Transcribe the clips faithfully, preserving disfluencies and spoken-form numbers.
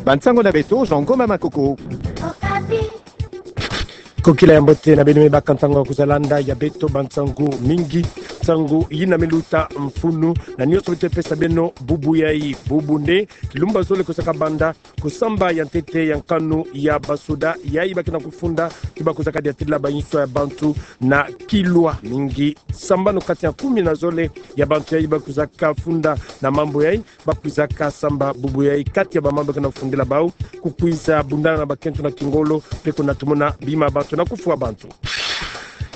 Bansango na beto, Jean Ngoma Makoko. Kokila ya mbote na beno me baka ntango ya kwiza landa ya beto bansango mingi. Nsango yina me luta mfunu na nionso beto pesa beno bubu yayi. Bubu nde kilumbu ya zole kwizaka banda kusamba ya ntete ya nkanu ya basoda yayi ba ke na kufunda, ti ba kwizaka diatila bayinswa ya bantu na Kilwa. Mingi sambanu kati ya kumi na zole ya bantu yayi ba kwizaka funda na mambu yayi, ba kwizaka samba bubu yayi. Kati ya bamambu ba ke na kufundila bawu, kukwiza bundana na bakento na kingolo, mpe kunatumona bima bantu na kufwa bantu.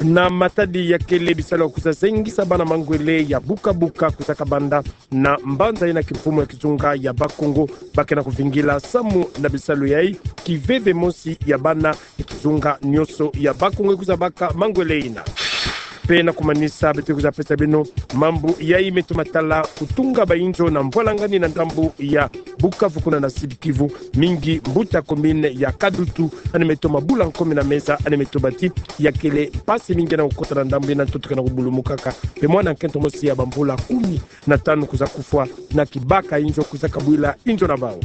Na matadi ya kele bisalu ya kwiza zengisa bana mangwele ya buka buka kwizaka banda na mbanza yina kimfumu ya kizunga ya Bas-Congo, ba ke na kuvingila samu na bisalu yayi. Kiveve mosi ya bana ya kizunga nionso ya Bas-Congo kwiza baka mangwele yina. Mpe na kumanisa, beto kwiza pesa beno mambu yayi me toma tala kutunga bayinzo na mvwalangani na ndambu ya Bukavu kuna na Sud-Kivu. Mingi mbuta commune ya Kadutu yandi me toma bula nkomi na meza, yandi me toma ti ya kele mpasi mingi na kukota na ndambu yina, ntoto ke na kubulumukaka. Mpe mwana nkento mosi ya bamvula kumi na tanu kwiza kufwa na kibaka inzo kwizaka bwila inzo na bawu.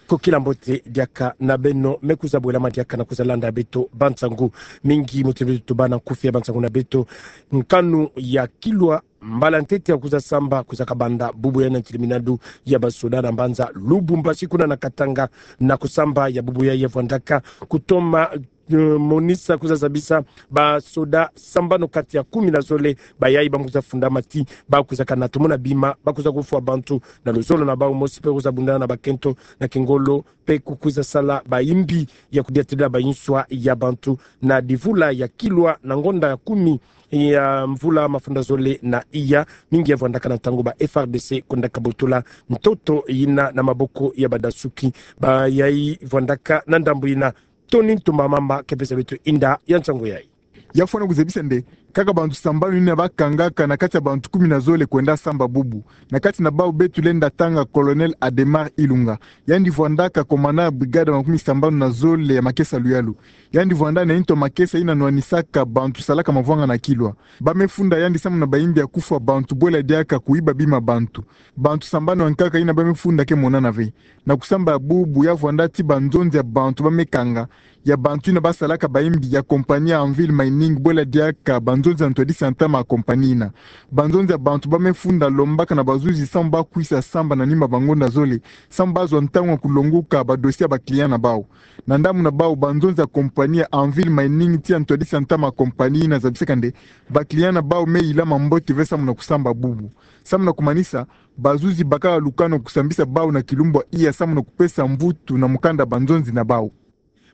Kokila mbote diaka na beno me kwiza bwelama diaka na kwiza landa beto bansango mingi. Mutu beto tubana nkufi ya bansango na beto. Nkanu ya Kilwa, mbala ntete ya kwiza samba kwizaka banda bubu yayi na ntiliminadu ya basoda na mbanza Lubumbashi kuna na Katanga. Na kusamba ya bubu yayi ya vwandaka kutoma eh, monisa kwiza zabisa basoda sambanu kati ya kumi na zole bayayi ba kwiza funda mati, ba kwizaka natumona bima, ba kwiza kufwa bantu na luzolo na bawu mosi, mpe kwiza bundana na bakento na kingolo, mpe kukwiza sala bayimbi ya kudiatila bayinswa ya bantu na divula ya Kilwa na ngonda ya kumi ya mvula mafunda zole na iya. Mingi ya vwandaka na ntangu ba F R D C kwendaka botola ntoto yina na maboko ya badasuki. Bayayi vwandaka na ndambu yina. Tony Ntumba Mamba ke pesa beto inda ya nsangu yayi. Ya fwana kuzabisa nde kaka bantu sambanu yina ba kangaka na kati ya bantu kumi na zole kwenda samba bubu. Na kati na bawu beto lenda tanga Colonel Adhémar Ilunga. Yandi vwandaka commandant ya brigade makumi sambanu na zole ya makesa luyalu. Yandi vwanda na nto makesa yina nwanisaka bantu salaka mavwanga na Kilwa. Ba me funda yandi samu na bayimbi ya kufwa bantu bwela diaka kuyiba bima bantu. Bantu sambanu ya nkaka yina ba me funda ke monana ve. Na kusamba ya bubu ya vwanda ti banzonzi ya bantu ba me kanga, ya bantu yina ba salaka bayimbi ya compagnie ya Anvil Mining bwela diaka banzonzi ya ntwadisi ya ntama ya compagnie yina. Banzonzi ya bantu ba me funda lombaka na bazuzi samu ba kwisa samba na nima bangonda zole, samu ba zwa ntangu ya kulonguka ba dossier ya ba client na bawu. Na ndambu na bawu, banzonzi ya compagnie ya Anvil Mining tii ya ntwadisi ya ntama ya compagnie yina zabisaka nde ba client na bawu me yilama mbote ve samu na kusamba bubu. Samu na kumanisa, bazuzi bakaka lukanu kusambisa bawu na kilumbu ya iya samu na kupesa mvutu na mukanda banzonzi na bawu.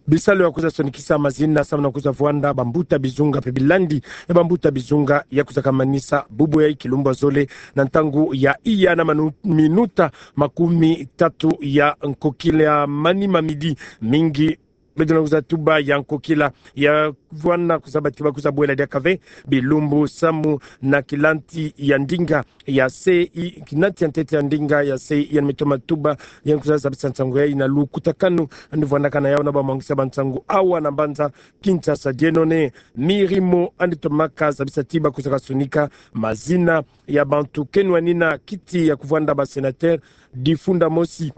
Bisalu ya kwiza sonikisa mazina samu na kwiza vwanda bambuta bizunga mpe bilandi ya bambuta bizunga ya kwizaka manisa bubu yayi kilumbu ya zole na ntangu ya iya na manu-, minuta makumi tatu ya nkokila, manima midi. Mingi beto na kwiza tuba ya nkokila ya vwana kwiza bati ba kwiza bwela diaka ve bilumbu samu na kilanti ya ndinga ya C I, kilanti ya ntete ya ndinga ya C I, yandi me toma tuba, yandi kwiza zabisa nsangu yayi na lukutakanu yandi vwandaka na yawu na bamwangisa bansangu awa na mbanza Kinshasa. Dieno ne mirimo yandi tomaka zabisa ti ba kwizaka sonika mazina ya bantu ke nwanina kiti ya kuvwanda ba sénateur difunda mosi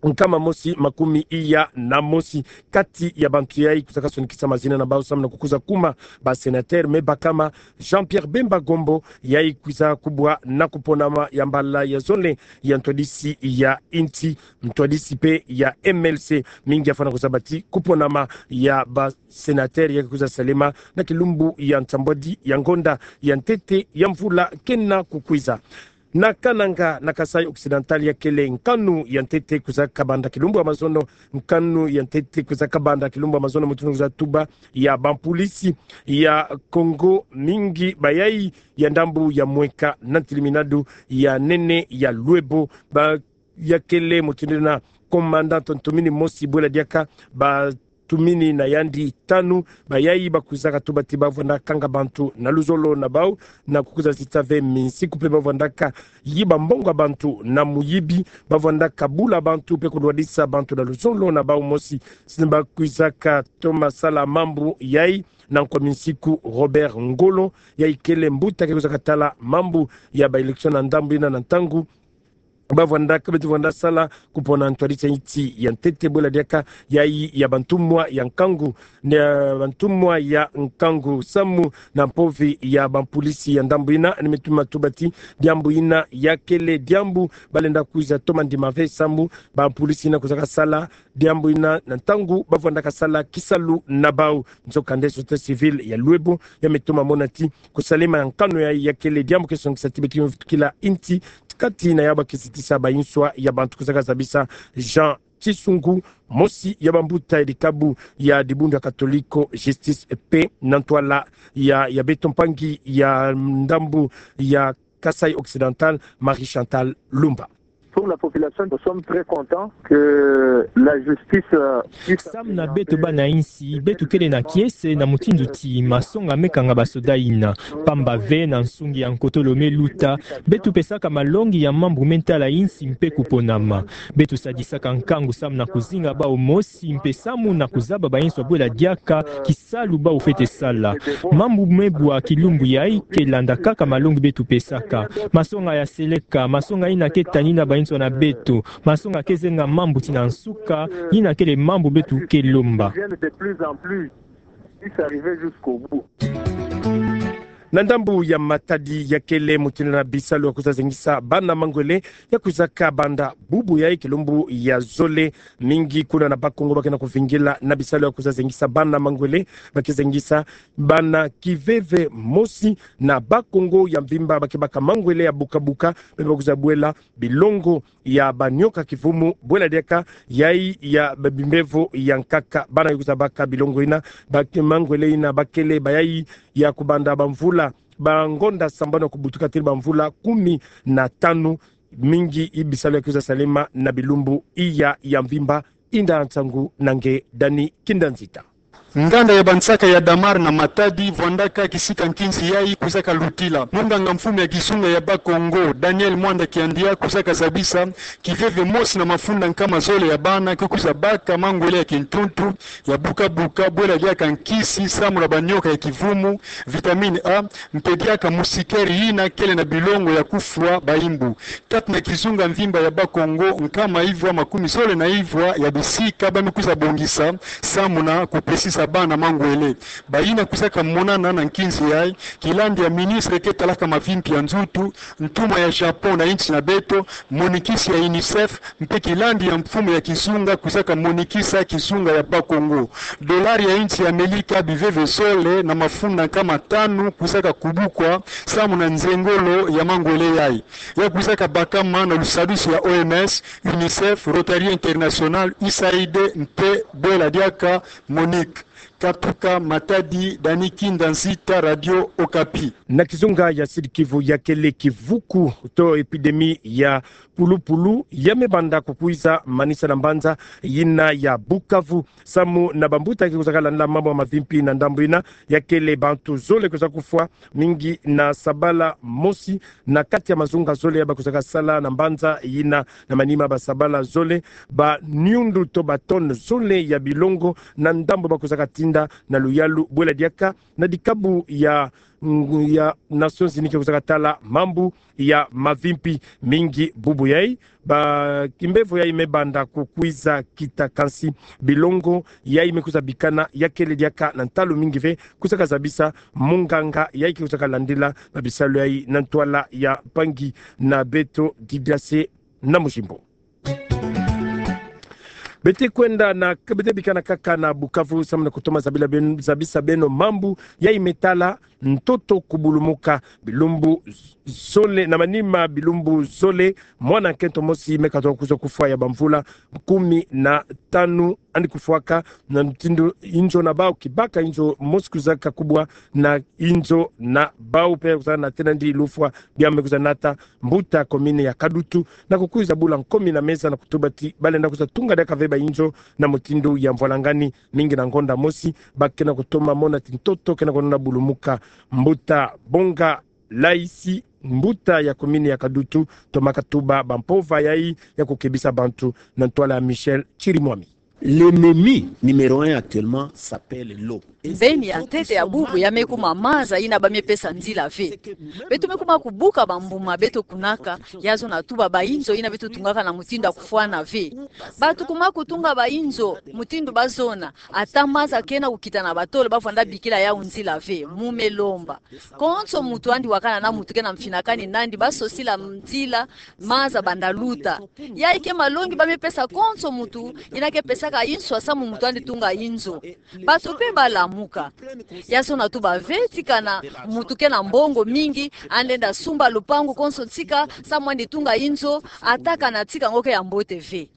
nkama mosi makumi iya na mosi. Kati ya bantu yayi kwizaka sonikisa mazina na bawu samu na kukwiza kuma ba sénateur, me bakama Jean-Pierre Bemba Gombo, yayi kwiza kubwa na kuponama ya mbala ya zole ya ntwadisi ya insi, ntwadisi mpe ya M L C. Mingi ya fwana kwiza bati kuponama ya ba sénateur ya kwiza salema na kilumbu ya nsambwadi ya ngonda ya ntete ya mvula ke na kukwiza. Na Kananga, na Kasaï Occidental, ya kele nkanu ya ntete kwizaka banda kilumbu ya mazono. Nkanu ya ntete kwizaka banda kilumbu ya mazono, mutindu kwiza tuba, ya bampolisi ya Congo mingi bayayi ya ndambu ya mweka na ntiliminadu ya nene ya Lwebo, ba ya kele mutindu na commandant ntumini mosi bwela diaka ba tumini na yandi tanu, bayayi ba kwizaka tuba ti ba vwanda kanga bantu na luzolo na bawu, na kukwiza zita ve minsiku mpe ba vwandaka yiba mbongo ya bantu na muyibi, ba vwandaka bula bantu mpe kulwadisa bantu na luzolo na bawu mosi. Sini ba kwizaka toma sala mambu yayi na nkwa minsiku, Robert Ngolo, yayi kele mbuta ke kwizaka tala mambu ya ba élection na ndambu yina na ntangu bavwandaka, beto vwanda sala kupona ntwadisa nti ya ntete bwela diaka yayi ya bantumwa ya nkangu, na bantumwa ya nkangu samu na mpovi ya bampulisi ya ndambu ina. Ni me tuma tuba ti diambu ina yakele diambu balenda kwiza toma ndima ve samu bampulisi ina kwizaka sala diambu ina na ntangu bavwandaka sala kisalu na bau. Nzokande société civile ya Luebo ya me toma mona ti kusalema ya nkanu yayi yakele diambu ke songisa ti beti me vutukila nti kati na yaba ke sitisa banswa ya bantu, kwizaka zabisa Jean Tisungu, mosi ya bambuta ya dikabu ya dibundu ya Katoliko Justice et Paix na ntwala ya, ya beto mpangi ya ndambu ya Kasaï Occidental, Marie Chantal Lumba. Pour la population, nous sommes très contents que la justice, euh, puisse... Samu na beto bana insi, beto kele na kiese na mutindu ti masonga me kanga basoda ina. Pamba ve na nsungi ya nkotolo me luta, beto pesaka malongi ya mambu me ntala insi mpe kuponama. Beto sadisaka nkangu samu na kuzinga bau mosi mpe samu na kuzaba banswa bwela diaka kisalu bau fwete sala. Mambu me bwa kilumbu yayi ke landa kaka malongi beto pesaka. Masonga ya seleka, masonga ina ke tanina banswa na beto, masonga ke zenga mambu ti na nsuka, ina kele mambu beto ke lomba. Ils viennent de plus en plus. Ils arrivent jusqu'au bout. Na ndambu ya Matadi yakele mutindu na bisalu ya kwiza zengisa bana mangwele ya kwizaka banda bubu yayi kilumbu ya zole. Mingi kuna na Bas-Congo ba ke na kuvingila na bisalu ya kwiza zengisa bana mangwele, ba ke zengisa bana kiveve mosi na Bas-Congo ya mvimba ba ke baka mangwele ya buka-buka, bebe ba kwiza bwela bilongo ya banioka kivumu, bwela diaka yayi ya ba bimbevo ya nkaka. Bana ya kwiza baka bilongo ina, ba ke mangwele ina, ba kele bayayi ya kubanda bamvula, bangonda sambanu kubutuka tii bamvula kumi na tanu. Mingi i bisalu ya kwiza salema na bilumbu iya ya mvimba. Inda nsangu na nge Dani Kinda Nzita. Nganda ya bansaka ya Damar na Matadi vwandaka kisika nkinzi yayi kwizaka lutila. Munganga mfumu ya kizunga ya Bas-Congo, Daniel Mwanda Kiandia, kwizaka zabisa kiveve mosi na mafunda nkama zole ya bana ke kwiza baka mangwele ya kintuntu ya buka-buka, bwela diaka nkisi samu na banioka ya kivumu, vitamine A, mpe diaka musikeri ina kele na bilongo ya kufwa baimbu. Kati na kizunga mvimba ya Bas-Congo, nkama ivwa makumi zole na ivwa ya bisika ba me kwiza bongisa samu na kupesisa bana mangwele. Bayina kwizaka monana na nkinzi yayi, kilandi ya ministre ke talaka mavimpi ya nzutu, ntumwa ya Japon na insi na beto, monikisi ya UNICEF, mpe kilandi ya mfumu ya kizunga kwizaka monikisa kizunga ya Bas-Congo. Dolari ya insi ya Amelika biveve zole na mafunda nkama tanu kwizaka kubukwa samu na nzengolo ya mangwele yayi. Ya kwizaka bakama na lusadusu ya O M S, UNICEF, Rotary International, U S A I D, mpe bwela diaka MONUC. Katuka Matadi, Dani Kinda Nzita, Radio Okapi. Na kizunga ya Sud-Kivu yakele kivuku to épidémie ya pulupulu ya me banda kukwiza manisa na mbanza yina ya Bukavu. Samu na bambuta ke kwizaka landila mambu ya mavimpi na ndambu yina, yakele bantu zole kwiza kufwa, mingi na sabala mosi, na kati ya mazunga zole ya ba kwizaka sala na mbanza yina. Na manima ba sabala zole, ba niundu to ba tonne zole ya bilongo na ndambu ba kwizaka tinda na luyalu, bwela diaka na dikabu ya, ya Nations Unies ke kwizaka tala mambu ya mavimpi. Mingi bubu yayi, ba kimbevo yayi me banda kukwiza kita, kansi bilongo yayi me kwiza bikana yakele diaka na ntalu mingi ve, kwizaka zabisa munganga yayi ke kwizaka landila ba bisalu yayi na ntwala ya mpangi na beto Didiase na Mujimbo. Bete kwenda na, bete bikana kaka na Bukavu, samu na kutoma zabila ben-, zabisa beno mambu yayi me tala ntoto kubulumuka. Bilumbu zole, na manima bilumbu zole, mwana nkento mosi me katoka kwiza kufwa ya bamvula kumi na tanu, andi kufwaka na mutindu inzo na bau kibaka inzo mosi kwizaka kubwa na inzo na bau mpe kwizaka nata nandi lufwa. Bia me kwiza nata mbuta commune ya Kadutu na kukwiza bula nkomi na meza na kutuba ti balenda kwiza tunga diaka ve ba inzo na mutindu ya mvwalangani. Mingi na ngonda mosi ba ke na kutoma mona ti ntoto ke na kunona bulumuka. Mbuta Bonga Laisi, mbuta ya commune ya Kadutu, tomaka tuba bampova yayi ya kukebisa bantu na ntwala ya Michel Chirimwami. L'ennemi numéro un actuellement s'appelle l'eau. Mbeni ya ntete ya bubu ya me kuma maza yina ba me pesa nzila ve. Beto me kuma kubuka bambuma beto kunaka, ya zona tuba bainzo yina beto tungaka na mutindu ya kufwana ve. Bato kuma kutunga bainzo mutindu ba zona, ata maza ke na kukita na batolo, ba vwanda bikila yau nzila ve, mu me lomba. Konso muntu andi wakana na muntu ke na mfinakani nandi, ba sosila nzila, maza banda luta. Yayi ke malongi ba me pesa konso muntu yina ke pesaka inswa samu muntu andi tunga inzo. Bato pe ba lamuka. Ya zona tuba ve ti kana muntu ke na mbongo mingi, andi enda sumba lupangu konso tika, samu andi tunga inzo, ata kana tika ngo ke ya mbote ve.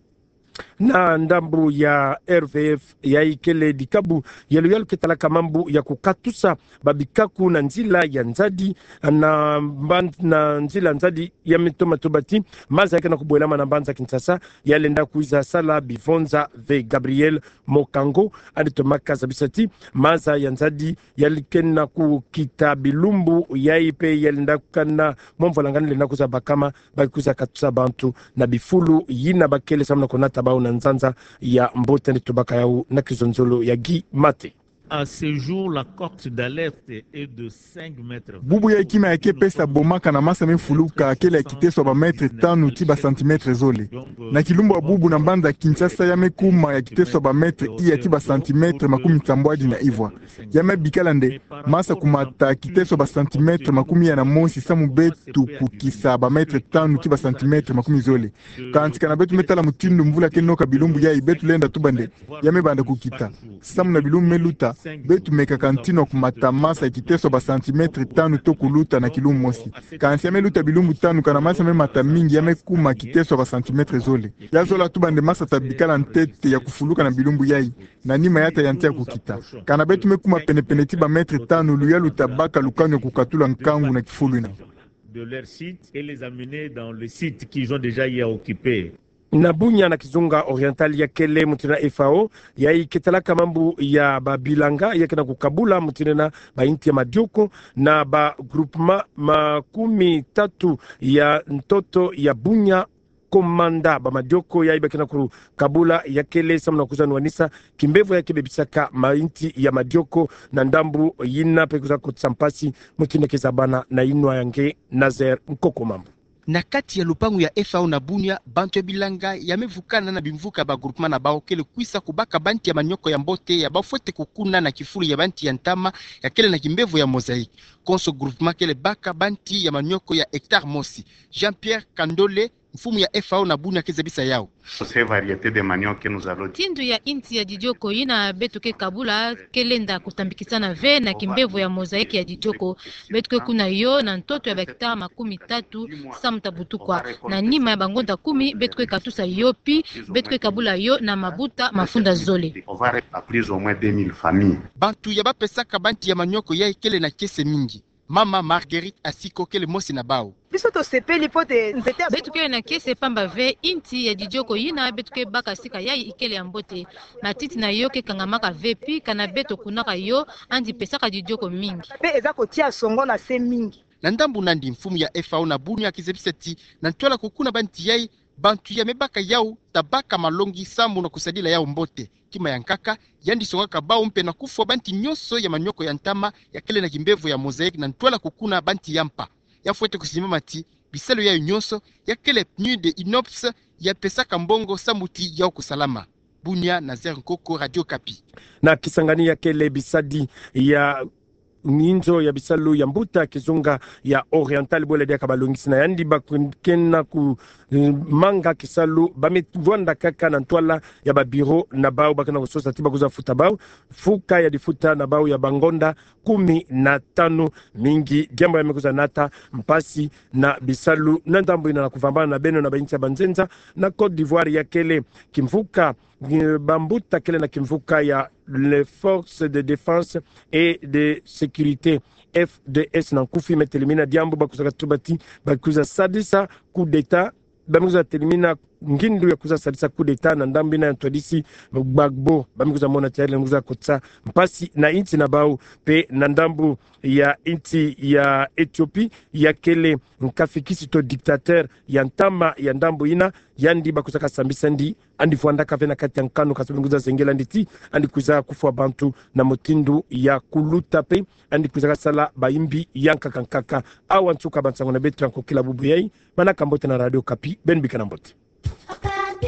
Na ndambu ya R V F, yayi kele dikabu ya luyalu ke talaka mambu ya kukatusa babikaku na nzila ya nzadi, na mban-, na nzila nzadi ya me toma tuba ti maza ya ke na kubwelama na mbanza Kinshasa, ya lenda kwiza sala bivonza ve. Gabriel Mokango andi tomaka zabisa ti maza ya nzadi ya ke na kukita bilumbu yayi pe ya lenda kana mwa mvwalangani lenda kwiza bakama, ba kwiza katusa bantu na bifulu yina ba kele samu na kunata bau na nzanza ya mbote. Andi tubaka yau na kizonzolo ya Guy Mate. À ce jour, la cote d'alerte est de cinq mètres. Bubu yayi kima ya ke pesa boma kana masa me fuluka kele ya kiteso ya ba mètre tanu ti ba centimètre zole. Na kilumbu ya bubu na mbanza Kinshasa ya me kuma ya kiteso ya ba mètre iya ti ba centimètre makumi nsambwadi na ivwa. Ya me bikala nde masa kumata kiteso ya ba centimètre makumi iya na mosi samu beto kukisa ba mètre tanu ti ba centimètre makumi zole. Kansi kana beto me tala mutindu mvula ke noka bilumbu yayi, beto lenda tuba nde ya me banda kukita. Samu na bilumbu me luta, beto meka kantino kumata masa ya kiteso ya ba centimètre tanu to kuluta na kilumbu mosi. Kansi ya me luta bilumbu tanu kana masa me mata mingi ya me kuma kiteso ya ba centimètre zole. Ya zola tuba nde masa ta bikala ntete ya kufuluka na bilumbu yayi, na nima ya ta yantia kukita. Kana beto me kuma penepene ti ba mètre tanu, luyalu ta baka lukanu ya kukatula nkangu na kifulu yina. De leur site et les amener dans le site qu'ils ont déjà hier occupé. Na Bunia na kizunga Oriental ya kele mutindu na F A O, yayi ke talaka mambu ya babilanga, ya ke na kukabula mutindu na ba inti ya madioko, na ba groupement makumi tatu ya ntoto ya Bunia, komanda ba madioko yayi ba ke na kukabula ya kele samu na kwiza nwanisa kimbevo ya ke bebisaka ma inti ya madioko na ndambu yina pe kwiza kotisa mpasi mutindu ke zabana na inwa ya nge Nazaire Nkoko Mambu. Na kati ya lupangu ya F A O na Bunia, bantu ya bilanga ya me vukana na bimvuka ya ba groupement na bau kele kwisa kubaka ba nti ya manioko ya mbote ya ba fwete kukuna na kifulu ya ba nti ya ntama ya kele na kimbevo ya mosaïque. Konso groupement kele baka ba nti ya manioko ya hectare mosi. Jean-Pierre Kandole, mfumu ya F A O na Bunia, ke zabisa yau. Ces variétés de manioc que nous allons... Mutindu ya inti ya didioko yina beto ke kabula ke lenda kutambikisana ve na kimbevo ya mosaïque ya didioko. Beto ke kuna yo na ntoto ya ba hectare makumi tatu samu ta butukwa. Na nima ya bangonda kumi, beto ke katusa yo pi beto ke kabula yo na mabuta mafunda zole. On va répandre plus ou moins deux mille familles. Bantu ya ba pesaka ba nti ya manioko yayi kele na kiese mingi. Mama Marguerite Asiko kele mosi na bau. Biso tosepeli mpo te nzete ya... Beto kele na kiese pamba ve inti ya didioko yina beto ke baka sika yayi ikele ya mbote. Matiti na yo ke kangamaka ve pi kana beto kunaka yo, andi pesaka didioko mingi. Mpe eza kotia songo na se mingi. Na ndambu nandi, mfumu ya F A O na Bunia ke zabisa ti na ntwala kukuna ba nti yayi, bantu ya me baka yau ta baka malongi samu na kusadila yau mbote. Kima ya nkaka, yandi songaka bau mpe na kufwa ba nti nyonso ya manioko ya ntama ya kele na kimbevo ya mosaïque na ntwala kukuna ba nti ya mpa. Ya fwete kusimbama ti bisalu yayo nyonso ya kele pneu de inox ya pesaka mbongo samu ti yau kusalama. Bunia, Nazaire Nkoko, Radio Okapi. Na Kisangani ya kele bisadi ya inzo ya bisalu ya mbuta kizunga ya Oriental, bwela diaka balongisi na yandi ba ke na ku, eh, manga kisalu, ba me vwanda kaka na ntwala ya ba bureau na bau, ba ke na kusosa ti ba kwiza futa bau mfuka ya difuta na bau ya bangonda kumi na tanu. Mingi diambu ya me kwiza nata mpasi na bisalu na ndambu yina. Na kuvambana na beno, na ba inti ya banzenza, na Côte d'Ivoire ya kele kimvuka, eh, bambuta kele na kimvuka ya les forces de défense et de sécurité, F D S na nkufi, me telimina diambu ba kwiza katuba ti ba kwiza sadisa coup d'État, ba me kwiza telimina ngindu ya kwiza salisa coup d'État na ndambu ina ya ntwadisi Gbagbo, ba mi kwiza mona ti aile kwiza kotisa mpasi na insi na bau, mpe na ndambu ya insi ya Éthiopie, ya kele nkafikisi to dictateur ya ntama ya ndambu ina, yandi ba kwiza kasambisa ndi, andi fwandaka ve na kati ya nkanu, kasi beno kwiza zengela ndi ti andi kwiza kufwa bantu na mutindu ya kuluta mpe andi kwiza kasala bayimbi ya nkaka nkaka. Awa nsuka ba nsangu na beto ya nkokila bubu yai. Manaka mbote na Radio Okapi, beno bika na mbote. Okapi.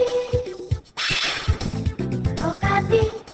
Okapi.